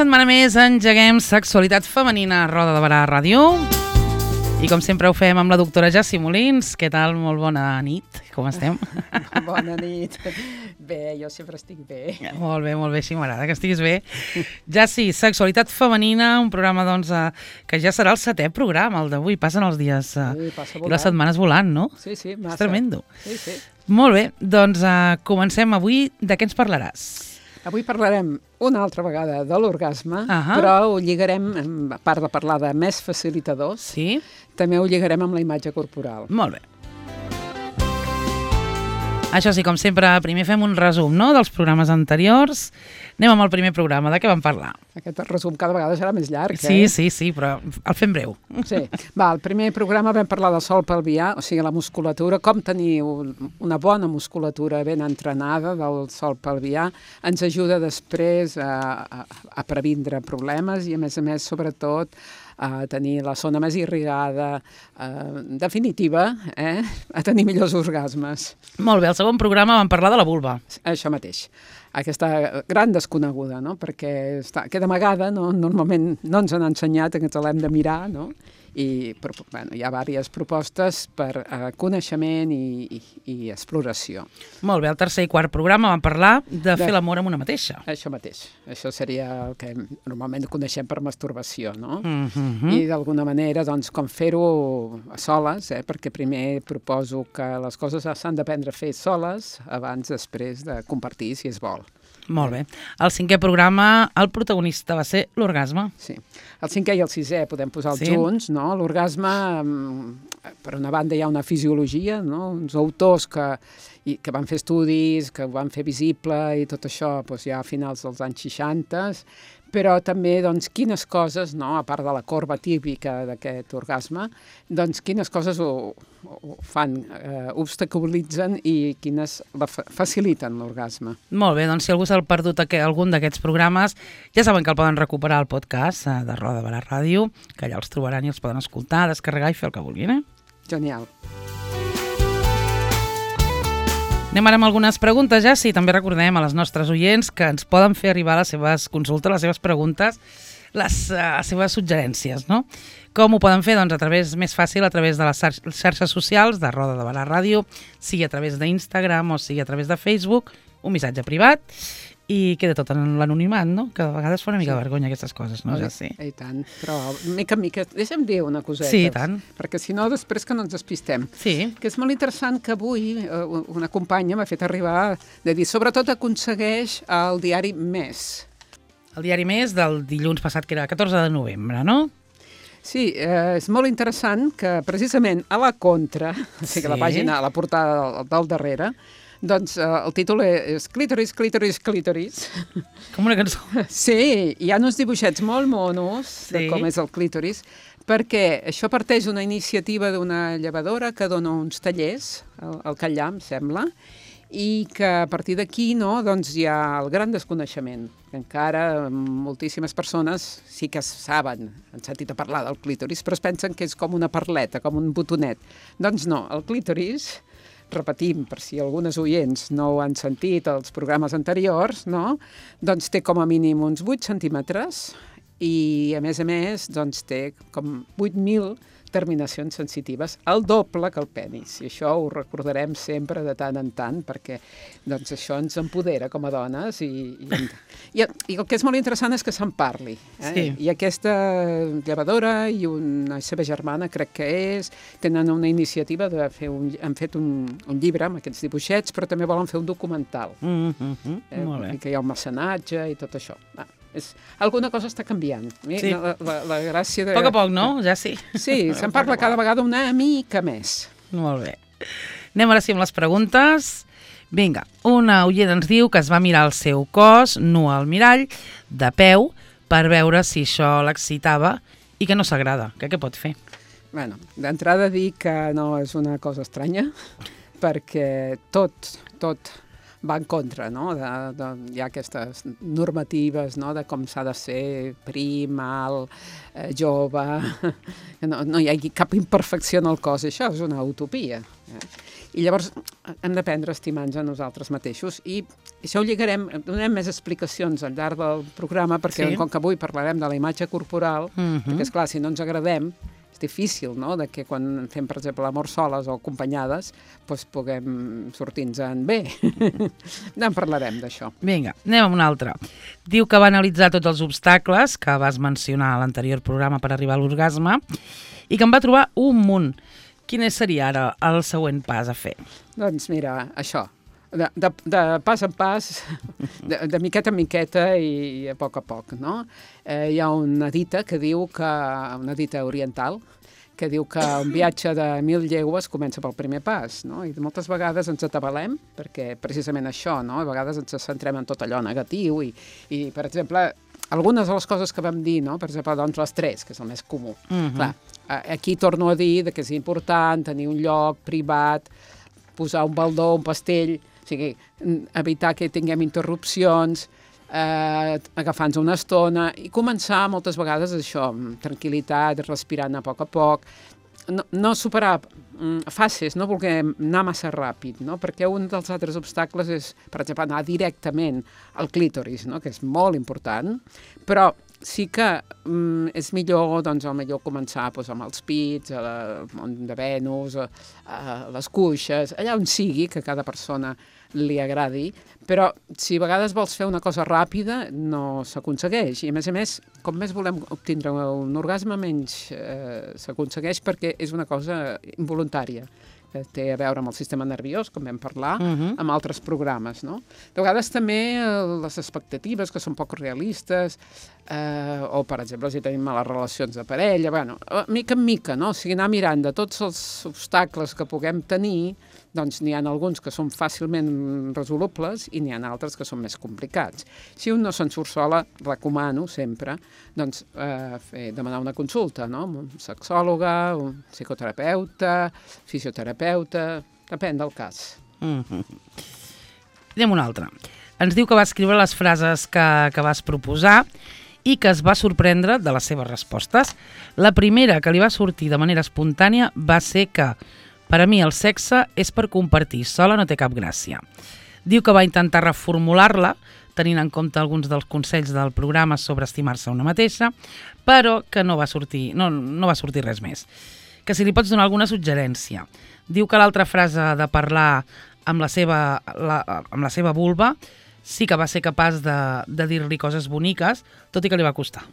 setmana més engeguem Sexualitat Femenina a Roda de Barà Ràdio. I com sempre ho fem amb la doctora Jassi Molins. Què tal? Molt bona nit. Com estem? Bona nit. Bé, jo sempre estic bé. Molt bé, així m'agrada que estiguis bé. Jassi, Sexualitat Femenina, un programa doncs, que ja serà el 7è programa, el d'avui. Passen els dies i les setmanes volant, no? Sí, massa. És tremendo. Sí. Molt bé, doncs comencem avui. De què ens parlaràs? Avui parlarem una altra vegada de l'orgasme, però ho lligarem, a part de parlar de més facilitadors, també ho lligarem amb la imatge corporal. Molt bé. Això sí, com sempre, primer fem un resum, no?, dels programes anteriors. Anem amb el primer programa. De què vam parlar? Aquest resum cada vegada serà més llarg, Sí, però el fem breu. Sí. El primer programa vam parlar del sòl pelvià, o sigui, la musculatura, com tenir una bona musculatura ben entrenada del sòl pelvià. Ens ajuda després a previndre problemes i, a més, sobretot, a tenir la zona més irrigada, en definitiva, a tenir millors orgasmes. Molt bé, al segon programa vam parlar de la vulva. Això mateix. Aquesta gran desconeguda, no? Perquè queda amagada, no? Normalment no ens han ensenyat que ens l'hem de mirar, no? I hi ha diverses propostes per coneixement i exploració. Molt bé, al tercer i quart programa vam parlar de fer l'amor amb una mateixa. Això mateix. Això seria el que normalment coneixem per masturbació, no? I d'alguna manera, doncs, com fer-ho a soles, perquè primer proposo que les coses s'han d'aprendre a fer soles abans, després de compartir, si es vol. Molt bé. Al cinquè programa, el protagonista va ser l'orgasme. Sí. El cinquè i el sisè podem posar-los junts, no? L'orgasme, per una banda, hi ha una fisiologia, no? Uns autors que van fer estudis, que ho van fer visible i tot això ja a finals dels anys 60, però també, doncs, quines coses, no? A part de la corba típica d'aquest orgasme, doncs, quines coses ho fan, obstaculitzen i quines faciliten l'orgasme. Molt bé, doncs si algú s'ha perdut algun d'aquests programes, ja saben que el poden recuperar al podcast de Roda de Barà Ràdio, que allà els trobaran i els poden escoltar, descarregar i fer el que vulguin, Genial. Anem ara amb algunes preguntes, ja. Sí, també recordem a les nostres oients que ens poden fer arribar les seves consultes, les seves preguntes, les seves suggerències, no? Com ho poden fer? Doncs més fàcil a través de les xarxes socials de Roda de Barà Ràdio, sigui a través d'Instagram o sigui a través de Facebook, un missatge privat, i queda tot en l'anonimat, no? Que a vegades fa una mica de vergonya aquestes coses, no? Ja sé. I tant, però mica en mica, deixa'm dir una coseta. Sí, i tant. Perquè si no, després que no ens despistem. Sí. Que és molt interessant que avui una companya m'ha fet arribar de dir, sobretot aconsegueix el diari Més. El diari Més del dilluns passat, que era 14 de novembre, no? Sí, és molt interessant que precisament a la contra, o sigui, la pàgina, a la portada del darrere, doncs el títol és Clítoris, clítoris, clítoris. Com una cançó. Sí, hi ha uns dibuixets molt monos de com és el clítoris, perquè això parteix d'una iniciativa d'una llevadora que dona uns tallers al Catllà, em sembla, i que a partir d'aquí doncs hi ha el gran desconeixement. Encara moltíssimes persones sí que saben, han sentit a parlar del clítoris, però es pensen que és com una perleta, com un botonet. Doncs no, el clítoris, repetim, per si algunes oients no ho han sentit als programes anteriors, no? Doncs té com a mínim uns 8 centímetres i, a més, doncs té com 8.000 terminacions sensitives, el doble que el penis. I això ho recordarem sempre de tant en tant, perquè doncs, això ens empodera com a dones i el que és molt interessant és que se'n parli. Sí. I aquesta llevadora i una seva germana, crec que tenen una iniciativa de fer han fet un llibre amb aquests dibuixets, però també volen fer un documental. Molt bé. Que hi ha un mecenatge i tot això. Alguna cosa està canviant. Sí. La gràcia de... A poc, no? Ja sí. Sí, se'n parla cada vegada una mica més. Molt bé. Anem ara sí amb les preguntes. Vinga, una oient ens diu que es va mirar el seu cos nu al mirall, de peu, per veure si això l'excitava i que no s'agrada. Què pot fer? Bueno, d'entrada dir que no és una cosa estranya, perquè tot va en contra, no? Hi ha aquestes normatives, no?, de com s'ha de ser prim, alt, jove, no hi hagi cap imperfecció en el cos, això és una utopia. I llavors hem d'aprendre a estimar-nos a nosaltres mateixos i això ho lligarem, donem més explicacions al llarg del programa perquè com que avui parlarem de la imatge corporal, perquè esclar, si no ens agradem, és difícil, no?, de que quan fem, per exemple, l'amor soles o acompanyades, doncs puguem sortir-nos-en bé. En parlarem d'això. Vinga, anem amb una altra. Diu que va analitzar tots els obstacles que vas mencionar a l'anterior programa per arribar a l'orgasme i que en va trobar un munt. Quin seria ara el següent pas a fer? Doncs mira, això, de pas en pas, de miqueta en miqueta i a poc, no? Hi ha una dita que diu que, una dita oriental, que diu que un viatge de 1000 llegües comença pel primer pas, no? I moltes vegades ens atabalem, perquè precisament això, no? A vegades ens centrem en tot allò negatiu i per exemple, algunes de les coses que vam dir, no? Per exemple, doncs l'estrès, que és el més comú. Clar, aquí torno a dir que és important tenir un lloc privat, posar un baldó, un pastell, o sigui, evitar que tinguem interrupcions, agafar-nos una estona i començar moltes vegades això, amb tranquil·litat, respirant a poc, no superar fases, no voler anar massa ràpid, no? Perquè un dels altres obstacles és, per exemple, anar directament al clítoris, no? Que és molt important, però sí que és millor, doncs, començar doncs, amb els pits, al món de Venus, a les cuixes, allà on sigui, que a cada persona li agradi, però si a vegades vols fer una cosa ràpida no s'aconsegueix, i a més, com més volem obtindre un orgasme, menys s'aconsegueix perquè és una cosa involuntària, que té a veure amb el sistema nerviós, com vam parlar, amb altres programes, no? De vegades també les expectatives, que són poc realistes, o, per exemple, si tenim males relacions de parella, bueno, mica en mica, no? O sigui, anar mirant de tots els obstacles que puguem tenir, doncs n'hi ha alguns que són fàcilment resolubles i n'hi ha altres que són més complicats. Si un no se'n surt sola, recomano sempre doncs, demanar una consulta, no? Un sexòloga, un psicoterapeuta, fisioterapeuta, depèn del cas. Anem una altra. Ens diu que va escriure les frases que vas proposar i que es va sorprendre de les seves respostes. La primera que li va sortir de manera espontània va ser que per a mi el sexe és per compartir, sola no té cap gràcia. Diu que va intentar reformular-la, tenint en compte alguns dels consells del programa sobre estimar-se una mateixa, però que no va sortir res més. Que si li pots donar alguna suggerència. Diu que l'altra frase de parlar amb la seva vulva sí que va ser capaç de dir-li coses boniques, tot i que li va costar.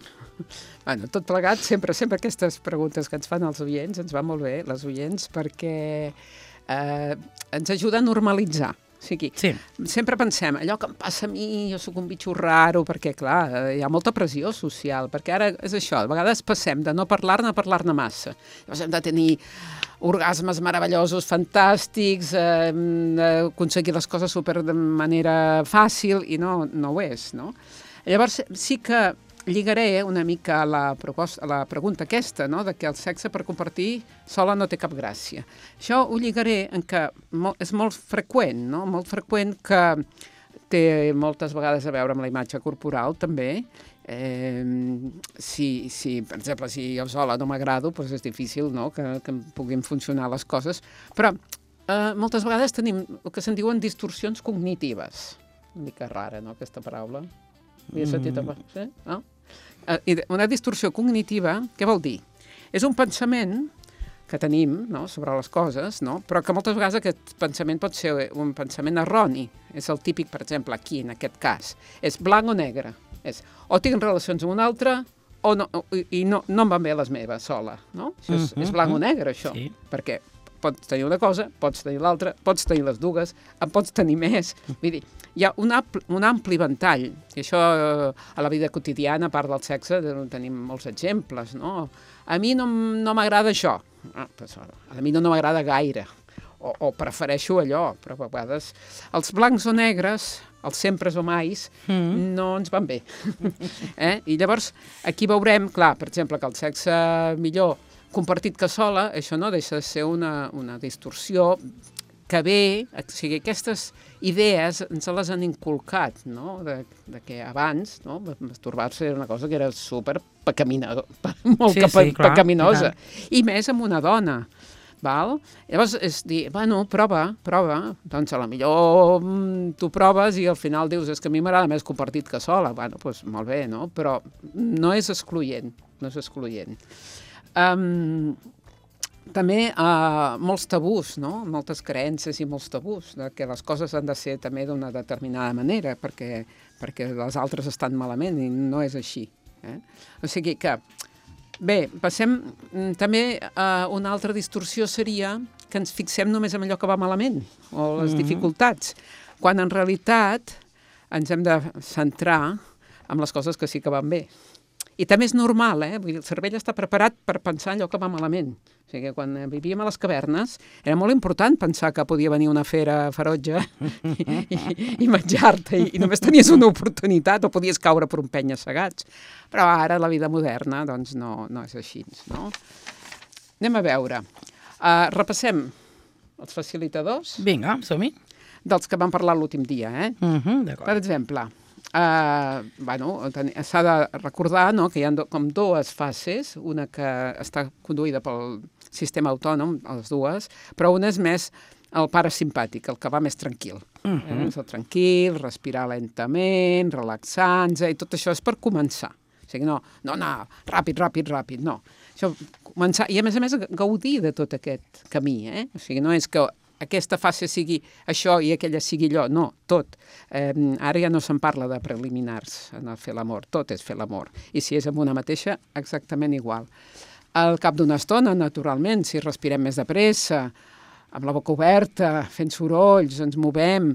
Bueno, tot plegat, sempre aquestes preguntes que ens fan els oients, ens va molt bé, les oients, perquè ens ajuda a normalitzar. O sigui, sempre pensem, allò que em passa a mi, jo sóc un bitxo raro, perquè, clar, hi ha molta pressió social, perquè ara és això, a vegades passem de no parlar-ne a parlar-ne massa. Llavors hem de tenir orgasmes meravellosos, fantàstics, aconseguir les coses de manera fàcil, i no ho és, no? Llavors sí que lligaré una mica a la pregunta aquesta, no?, de que el sexe per compartir sola no té cap gràcia. Això ho lligaré en que és molt freqüent, no?, molt freqüent, que té moltes vegades a veure amb la imatge corporal, també. Si, per exemple, si jo sola no m'agrado, doncs és difícil, no?, que puguin funcionar les coses, però moltes vegades tenim el que se'n diuen distorsions cognitives. Una mica rara, no?, aquesta paraula. Havia sentit abans, no? Una distorsió cognitiva, què vol dir? És un pensament que tenim, no?, sobre les coses, no?, però que moltes vegades aquest pensament pot ser un pensament erroni. És el típic, per exemple, aquí, en aquest cas. És blanc o negre. És o tinc relacions amb un altre o no, i no em van bé les meves sola, no? Això és blanc o negre, això. Sí. Perquè pots tenir una cosa, pots tenir l'altra, pots tenir les dues, en pots tenir més. Vull dir, hi ha un ampli ventall, i això a la vida quotidiana, a part del sexe, tenim molts exemples, no? A mi no m'agrada això, a mi no m'agrada gaire, o prefereixo allò, però a vegades els blancs o negres, els sempre o mais, no ens van bé. I llavors aquí veurem, clar, per exemple, que el sexe millor compartit que sola, això no deixa de ser una distorsió que ve, o sigui, aquestes idees ens les han inculcat, no? De que abans, no? Masturbar-se era una cosa que era super pecaminosa, i més amb una dona. Val? Llavors és dir, bueno, prova, doncs a la millor tu proves i al final dius, és que a mi m'agrada més compartit que sola. Bueno, doncs molt bé, no? Però no és excloent, també molts tabús, no? Moltes creences i molts tabús, que les coses han de ser també d'una determinada manera perquè les altres estan malament i no és així. O sigui que, bé, passem també a una altra distorsió seria que ens fixem només en allò que va malament o les dificultats, quan en realitat ens hem de centrar en les coses que sí que van bé. I també és normal, vull dir, el cervell està preparat per pensar allò que va malament. O sigui, quan vivíem a les cavernes era molt important pensar que podia venir una fera ferotge i menjar-te, i només tenies una oportunitat o podies caure per un penya-segats. Però ara la vida moderna doncs no és així, no? Anem a veure. Repassem els facilitadors. Vinga, som-hi. Dels que vam parlar l'últim dia, D'acord. Per exemple, s'ha de recordar, no, que hi ha com dues fases, una que està conduïda pel sistema autònom, les dues, però una és més el parasimpàtic, el que va més tranquil. És el tranquil, respirar lentament, relaxar-nos, i tot això és per començar. O sigui, no anar ràpid, no. Això, començar, i a més gaudir de tot aquest camí, O sigui, no és que aquesta fase sigui això i aquella sigui allò, no, tot. Ara ja no se'n parla de preliminars en el fer l'amor, tot és fer l'amor. I si és amb una mateixa, exactament igual. Al cap d'una estona, naturalment, si respirem més de pressa, amb la boca oberta, fent sorolls, ens movem,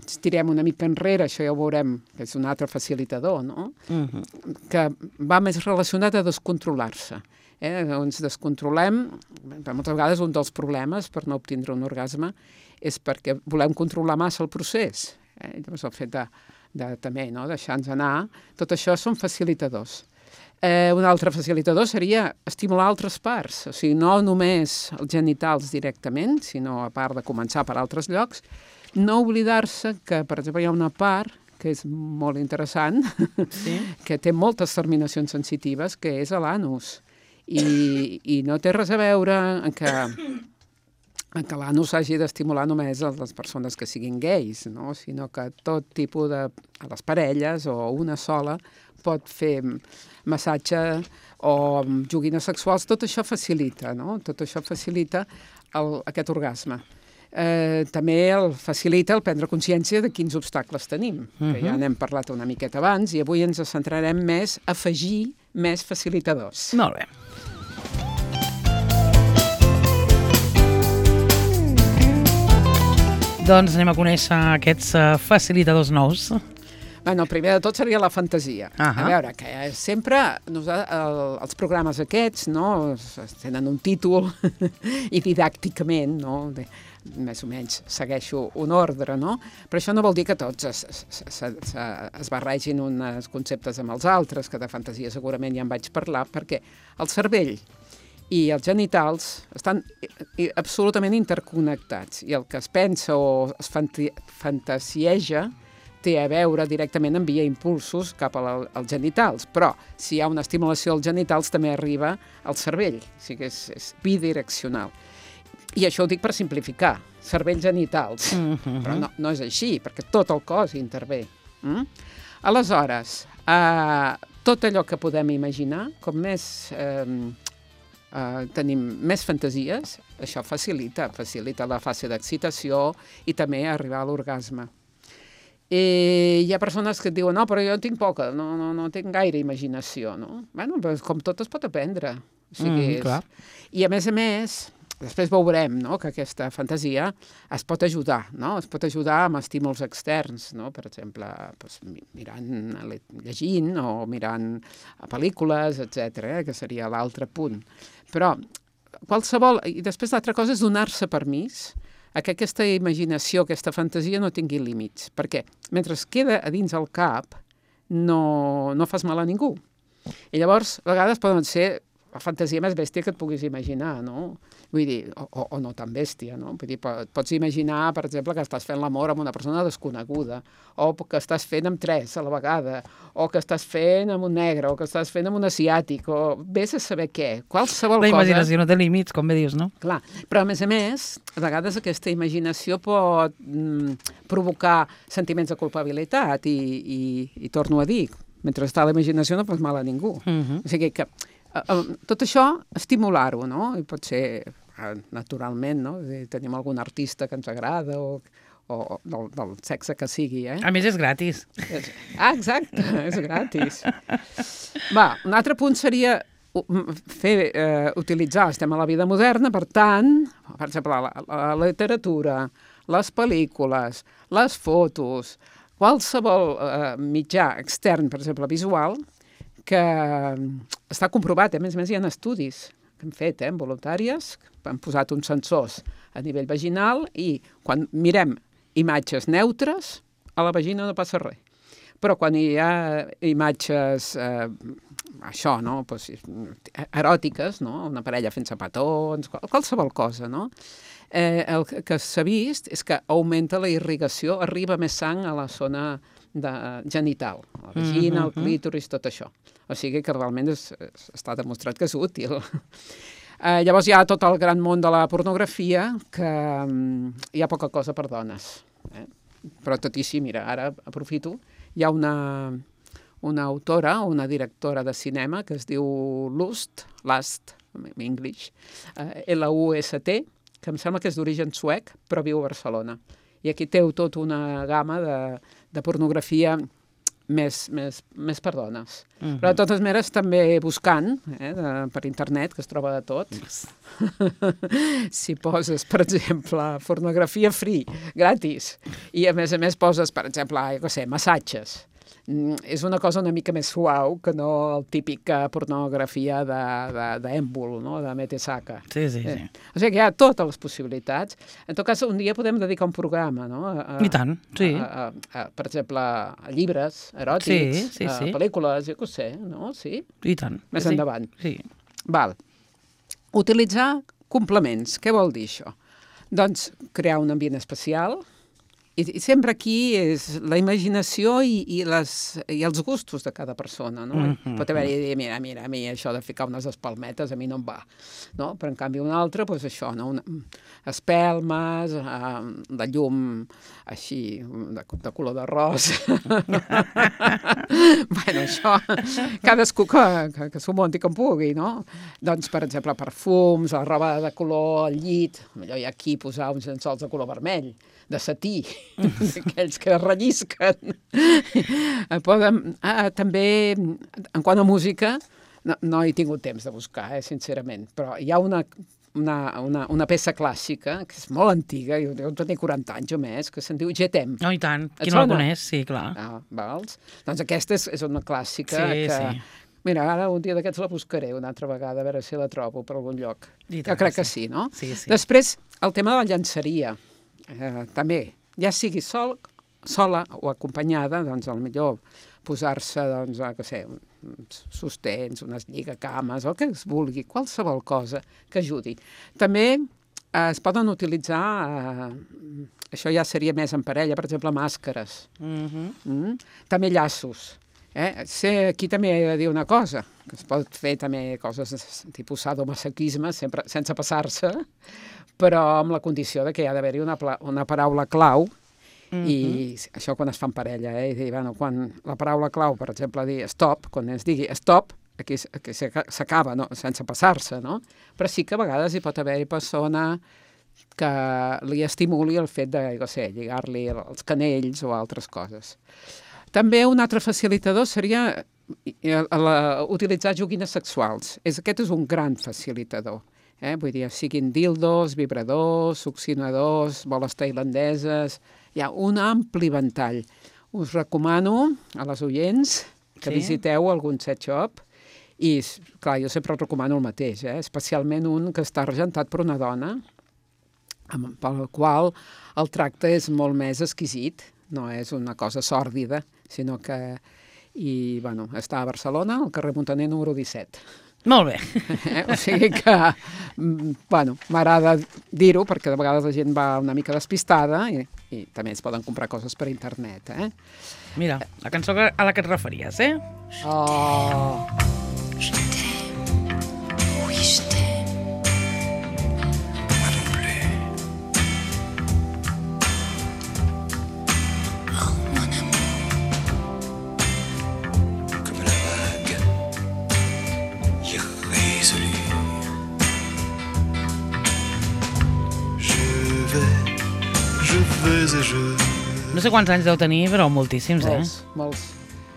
estirem una mica enrere, això ja ho veurem, que és un altre facilitador, no? Que va més relacionat a descontrolar-se. Ens descontrolem, moltes vegades un dels problemes per no obtindre un orgasme és perquè volem controlar massa el procés. Llavors el fet de també deixar-nos anar, tot això són facilitadors. Un altre facilitador seria estimular altres parts, o sigui, no només els genitals directament, sinó a part de començar per altres llocs, no oblidar-se que, per exemple, hi ha una part que és molt interessant, que té moltes terminacions sensitives, que és l'anus. I no té res a veure en que l'anus hagi d'estimular només a les persones que siguin gais, no? Sinó que tot tipus a les parelles o una sola pot fer massatge o joguines sexuals, tot això facilita, no? Tot això facilita aquest orgasme. També el facilita el prendre consciència de quins obstacles tenim, que ja n'hem parlat una miqueta abans, i avui ens centrarem més a afegir més facilitadors. Molt bé. Doncs anem a conèixer aquests facilitadors nous. Bueno, el primer de tot seria la fantasia. A veure, que sempre els programes aquests, no, tenen un títol i didàcticament, no, més o menys segueixo un ordre, no? Però això no vol dir que tots es barregin uns conceptes amb els altres, que de fantasia segurament ja en vaig parlar, perquè el cervell i els genitals estan absolutament interconnectats, i el que es pensa o es fantasieja té a veure directament amb via impulsos cap als genitals, però si hi ha una estimulació als genitals també arriba al cervell, o sigui que és bidireccional. I això ho dic per simplificar, cervells genitals, però no és així, perquè tot el cos intervé. Aleshores, tot allò que podem imaginar, com més tenim més fantasies, això facilita la fase d'excitació i també arribar a l'orgasme. Hi ha persones que et diuen, no, però jo en tinc poca, no tinc gaire imaginació, no? Bueno, però com tot es pot aprendre. O sigui, i a més, després veurem, no, que aquesta fantasia es pot ajudar, no? Es pot ajudar amb estímuls externs, no? Per exemple, mirant, llegint o mirant pel·lícules, etc., que seria l'altre punt. Però qualsevol... I després l'altra cosa és donar-se permís a que aquesta imaginació, aquesta fantasia no tingui límits, perquè mentre es queda a dins el cap no fas mal a ningú. I llavors, a vegades poden ser la fantasia més bèstia que et puguis imaginar, no? Vull dir, o no tan bèstia, no? Vull dir, pots imaginar, per exemple, que estàs fent l'amor amb una persona desconeguda, o que estàs fent amb 3 a la vegada, o que estàs fent amb un negre, o que estàs fent amb un asiàtic, o vés a saber què. Qualsevol cosa... La imaginació no té límits, com bé dius, no? Clar, però a més, a vegades aquesta imaginació pot provocar sentiments de culpabilitat i torno a dir, mentre està la imaginació no fas mal a ningú. O sigui que tot això, estimular-ho, no? I pot ser naturalment, no? Tenim algun artista que ens agrada o del sexe que sigui, A més, és gratis. Exacte, és gratis. Va, un altre punt seria utilitzar, estem a la vida moderna, per tant, per exemple, la literatura, les pel·lícules, les fotos, qualsevol mitjà extern, per exemple, visual, que està comprovat, a més hi ha estudis que hem fet, voluntàries, que han posat uns sensors a nivell vaginal i quan mirem imatges neutres, a la vagina no passa res. Però quan hi ha imatges, això, no?, eròtiques, no?, una parella fent petons, qualsevol cosa, no?, el que s'ha vist és que augmenta la irrigació, arriba més sang a la zona genital, la vagina, el clítoris, tot això. O sigui que realment està demostrat que és útil. Llavors hi ha tot el gran món de la pornografia, que hi ha poca cosa per dones. Però tot i així, mira, ara aprofito, hi ha una autora, una directora de cinema que es diu Lust, en English, L-U-S-T, que em sembla que és d'origen suec, però viu a Barcelona. I aquí té tota una gamma de pornografia més per dones. Però de totes maneres també buscant per internet, que es troba de tot, si poses, per exemple, pornografia free, gratis, i a més poses, per exemple, massatges, és una cosa una mica més suau que no el típic pornografia d'èmbol, no?, de Metesaka. Sí. O sigui que hi ha totes les possibilitats. En tot cas, un dia podem dedicar un programa, no? I tant, sí. Per exemple, a llibres eròtics, a pel·lícules, jo què sé, no? Sí? I tant. Més endavant. Sí. Val. Utilitzar complements. Què vol dir això? Doncs crear un ambient especial. I sempre aquí és la imaginació i els gustos de cada persona, no? Pot haver-hi, mira, a mi això de ficar unes espalmetes a mi no em va, no? Però en canvi un altre, doncs això, no? Espelmes, de llum així, de color d'arròs. Bueno, això, cadascú que s'ho munti com pugui, no? Doncs, per exemple, perfums, la roba de color, el llit, allò hi ha aquí posar uns llençols de color vermell, de setí, aquells que rellisquen. També, en quant a música, no he tingut temps de buscar, sincerament, però hi ha una peça clàssica, que és molt antiga, jo deuen tenir 40 anys o més, que se'n diu Je t'aime. Oh, i tant, qui no la coneix, sí, clar. Vals? Doncs aquesta és una clàssica que... Mira, ara un dia d'aquests la buscaré una altra vegada, a veure si la trobo per algun lloc. Jo crec que sí, no? Sí. Després, el tema de la llançaria. També, ja sigui sola o acompanyada, doncs millor posar-se, doncs, què sé, uns sostens, unes lligacames, el que es vulgui, qualsevol cosa que ajudi. També es poden utilitzar, això ja seria més en parella, per exemple, màscares. També llaços. Aquí també he de dir una cosa, que es pot fer també coses tipus sadomasoquisme, sempre sense passar-se, però amb la condició de que hi ha d'haver-hi una paraula clau, i això quan es fa en parella, i dir, bueno, quan la paraula clau, per exemple, dir stop, quan es digui stop, aquí s'acaba, no? Sense passar-se, no? Però sí que a vegades hi pot haver persona que li estimuli el fet de, no sé, lligar-li els canells o altres coses. També un altre facilitador seria utilitzar joguines sexuals. Aquest és un gran facilitador. Vull dir, siguin dildos, vibradors, succionadors, boles tailandeses... Hi ha un ampli ventall. Us recomano a les oients que visiteu algun sex shop i, clar, jo sempre recomano el mateix, especialment un que està regentat per una dona pel qual el tracte és molt més exquisit, no és una cosa sòrdida, sinó que... I, bueno, està a Barcelona, al carrer Montaner número 17. Molt bé. O sigui que, bueno, m'agrada dir-ho perquè de vegades la gent va una mica despistada i també es poden comprar coses per internet, Mira, la cançó a la que et referies, Oh... No sé quants anys deu tenir, però moltíssims, Molts.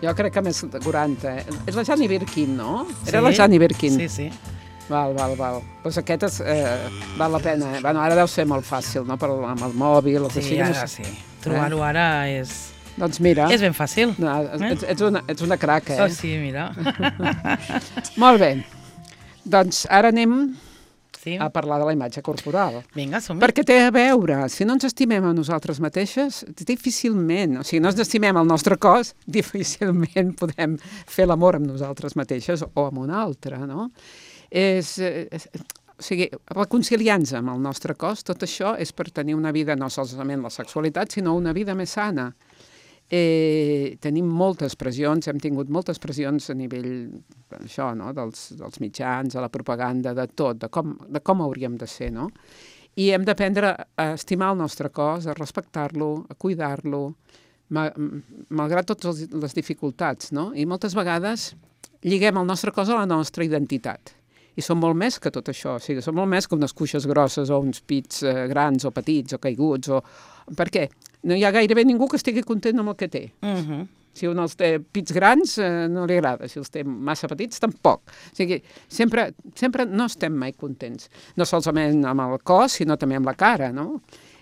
Jo crec que més de 40. És la Jani Birkin, no? Sí? Era la Jani Birkin. Sí. Val. Doncs aquest val la pena. Bueno, ara deu ser molt fàcil, no? Amb el mòbil. Sí, ara sí. Trobar-ho ara és... Doncs mira... És ben fàcil. No, ets una crac, Oh, sí, mira. Molt bé. Doncs ara anem a parlar de la imatge corporal. Vinga, som-hi. Perquè té a veure, si no ens estimem a nosaltres mateixes, difícilment, o sigui, no ens estimem el nostre cos, difícilment podem fer l'amor amb nosaltres mateixes o amb un altre, no? O sigui, reconciliar-nos amb el nostre cos, tot això és per tenir una vida, no solament la sexualitat, sinó una vida més sana. Tenim moltes pressions, hem tingut moltes pressions a nivell això, no? dels mitjans, de la propaganda, de tot, de com hauríem de ser, no? I hem d'aprendre a estimar el nostre cos, a respectar-lo, a cuidar-lo, malgrat totes les dificultats, no? I moltes vegades lliguem el nostre cos a la nostra identitat. I som molt més que tot això, o sigui, som molt més que unes cuixes grosses o uns pits grans o petits o caiguts. Per què? No hi ha gairebé ningú que estigui content amb el que té. Si un els té pits grans, no li agrada. Si els té massa petits, tampoc. O sigui, sempre no estem mai contents. No solament amb el cos, sinó també amb la cara, no?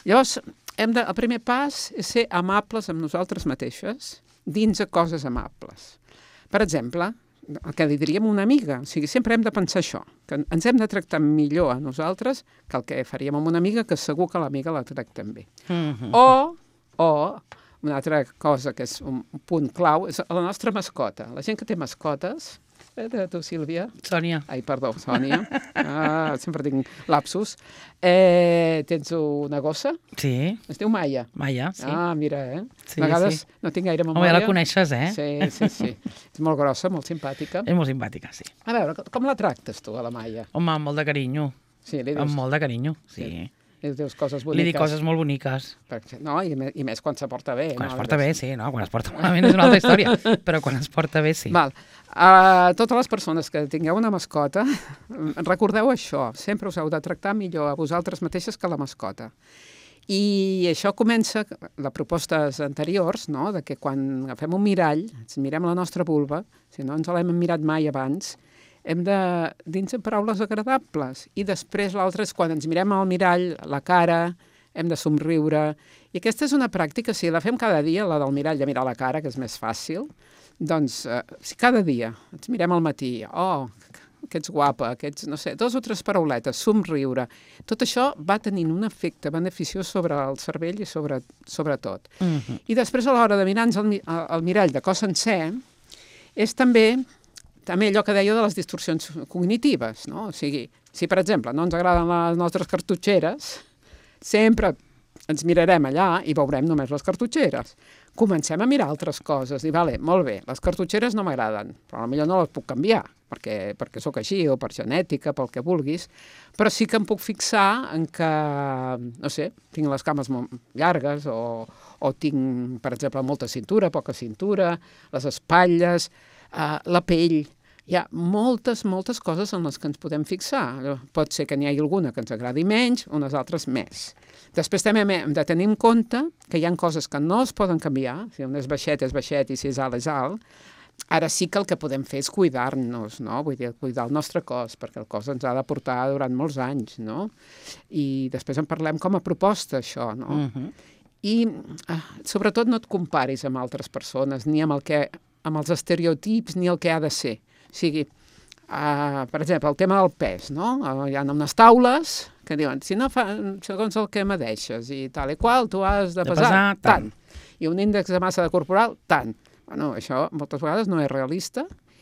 Llavors, el primer pas és ser amables amb nosaltres mateixes dins de coses amables. Per exemple, el que li diríem una amiga. O sigui, sempre hem de pensar això, que ens hem de tractar millor a nosaltres que el que faríem amb una amiga, que segur que l'amiga la tractem bé. O una altra cosa que és un punt clau és la nostra mascota. La gent que té mascotes, tu, Sílvia? Sònia. Ai, perdó, Sònia. Sempre tinc lapsus. Tens una gossa? Sí. Es diu Maia. Maia, sí. Mira, Sí, a vegades no tinc gaire memòria. Home, ja la coneixes, Sí. És molt grossa, molt simpàtica. És molt simpàtica, sí. A veure, com la tractes tu, a la Maia? Home, amb molt de carinyo. Sí, li dius... Amb molt de carinyo, sí. Li dius coses boniques. Li dic coses molt boniques. No, i més quan se porta bé. Quan es porta bé, sí, no? Quan es porta malament és una altra història, però quan es porta bé, sí. Val. Totes les persones que tingueu una mascota, recordeu això, sempre us heu de tractar millor a vosaltres mateixes que la mascota. I això comença, les propostes anteriors, no?, de que quan agafem un mirall, ens mirem la nostra vulva, si no ens l'hem mirat mai abans, hem de dins de paraules agradables. I després l'altre és quan ens mirem al mirall, la cara, hem de somriure. I aquesta és una pràctica, si la fem cada dia, la del mirall de mirar la cara, que és més fàcil, doncs si cada dia ens mirem al matí, que ets guapa, que ets, no sé, 2 o 3 parauletes, somriure, tot això va tenint un efecte beneficiós sobre el cervell i sobre tot. I després a l'hora de mirar-nos al mirall de cos sencer, és també allò que deia de les distorsions cognitives, no? O sigui, si per exemple no ens agraden les nostres cartutxeres, sempre ens mirarem allà i veurem només les cartutxeres. Comencem a mirar altres coses i, vale, molt bé, les cartutxeres no m'agraden, però potser no les puc canviar, perquè sóc així, o per genètica, pel que vulguis, però sí que em puc fixar en que, no sé, tinc les cames molt llargues o tinc, per exemple, molta cintura, poca cintura, les espatlles, la pell. Hi ha moltes coses en les que ens podem fixar. Pot ser que n'hi hagi alguna que ens agradi menys, unes altres més. Després també hem de tenir en compte que hi ha coses que no es poden canviar, si un és baixet i si és alt és alt. Ara sí que el que podem fer és cuidar-nos, no? Vull dir, cuidar el nostre cos, perquè el cos ens ha de portar durant molts anys, no? I després en parlem com a proposta, això, no? I sobretot no et comparis amb altres persones, ni amb els estereotips, ni el que ha de ser. O sigui, per exemple, el tema del pes, no? Hi ha unes taules que diuen, si no fa, segons el que medeixes i tal i qual, tu has de pesar tant. I un índex de massa corporal, tant. Bueno, això moltes vegades no és realista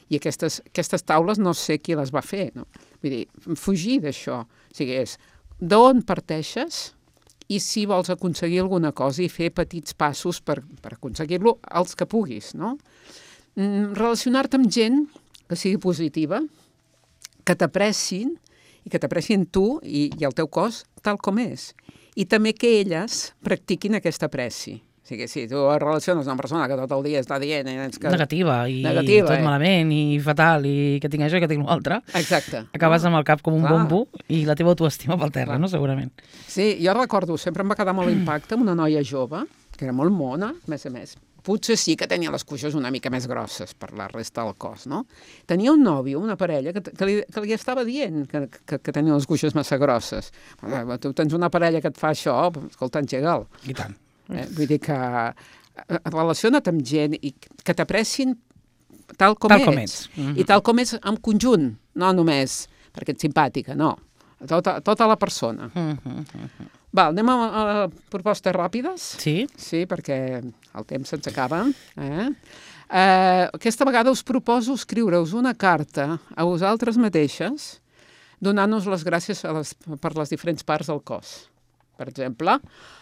I aquestes taules no sé qui les va fer, no? Vull dir, fugir d'això. O sigui, és d'on parteixes i si vols aconseguir alguna cosa i fer petits passos per aconseguir-lo els que puguis, no? Relacionar-te amb gent que sigui positiva, que t'aprecin i que t'aprecin tu i el teu cos tal com és. I també que elles practiquin aquesta apreci. O sigui, si tu et relaciones amb una persona que tot el dia està dient... Que... Negativa, tot malament, i fatal, i que tinc això i que tinc l'altre. Exacte. Acabes amb el cap com un bombo i la teva autoestima pel terra, no? Segurament. Sí, jo recordo, sempre em va quedar molt impacte amb una noia jove, que era molt mona, a més. Potser sí que tenia les cuixes una mica més grosses per la resta del cos, no? Tenia un nòvio, una parella, que li estava dient que tenia les cuixes massa grosses. Tu tens una parella que et fa això, escolta, engega'l. I tant. Vull dir que relaciona't amb gent i que t'aprecin tal com ets. I tal com ets en conjunt, no només perquè ets simpàtica, no. Tota la persona. Val, anem a propostes ràpides? Sí. Sí, perquè el temps se'ns acaba. Aquesta vegada us proposo escriure-us una carta a vosaltres mateixes donant-nos les gràcies per les diferents parts del cos. Per exemple,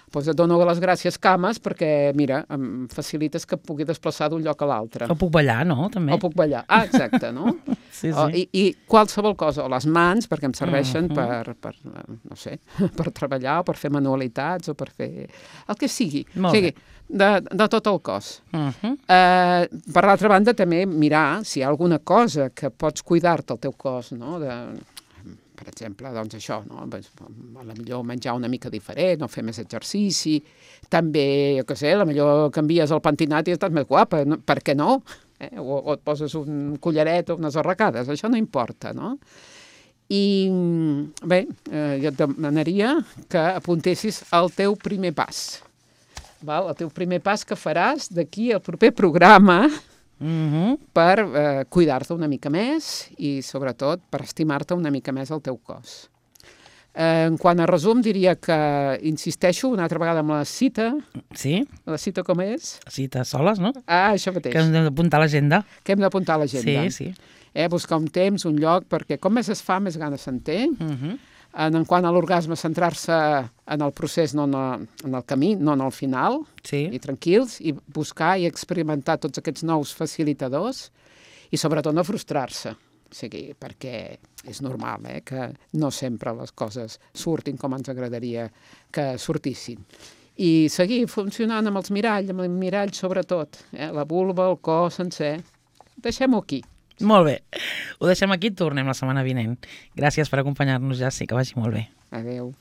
doncs et dono les gràcies cames perquè, mira, em facilites que pugui desplaçar d'un lloc a l'altre. O puc ballar, no? També. O puc ballar. Ah, exacte, no? Sí. I qualsevol cosa, o les mans, perquè em serveixen no sé, per treballar, o per fer manualitats, o per fer... el que sigui. Molt bé. De tot el cos. Per l'altra banda, també mirar si hi ha alguna cosa que pots cuidar-te al teu cos, no?, per exemple, doncs això, no? Potser menjar una mica diferent, o fer més exercici, també, jo què sé, potser canvies el pentinat i estàs més guapa, no? Per què no? O et poses un collaret o unes arracades, això no importa, no? I bé, jo et demanaria que apuntessis el teu primer pas, val? El teu primer pas que faràs d'aquí al proper programa, per cuidar-te una mica més i, sobretot, per estimar-te una mica més el teu cos. En quant a resum, diria que insisteixo una altra vegada amb la cita. Sí. La cita com és? Cita soles, no? Ah, això mateix. Que hem d'apuntar a l'agenda. Que hem d'apuntar a l'agenda. Sí. Buscar un temps, un lloc, perquè com més es fa, més gana se'n té. En quant a l'orgasme, centrar-se en el procés, no en el camí, no en el final, i tranquils, i buscar i experimentar tots aquests nous facilitadors, i sobretot no frustrar-se, o sigui, perquè és normal que no sempre les coses surtin com ens agradaria que sortissin. I seguir funcionant amb el mirall sobretot, la vulva, el cos sencer. Deixem-ho aquí. Molt bé. Ho deixem aquí i tornem la setmana vinent. Gràcies per acompanyar-nos, Jassi, que vagi molt bé. Adéu.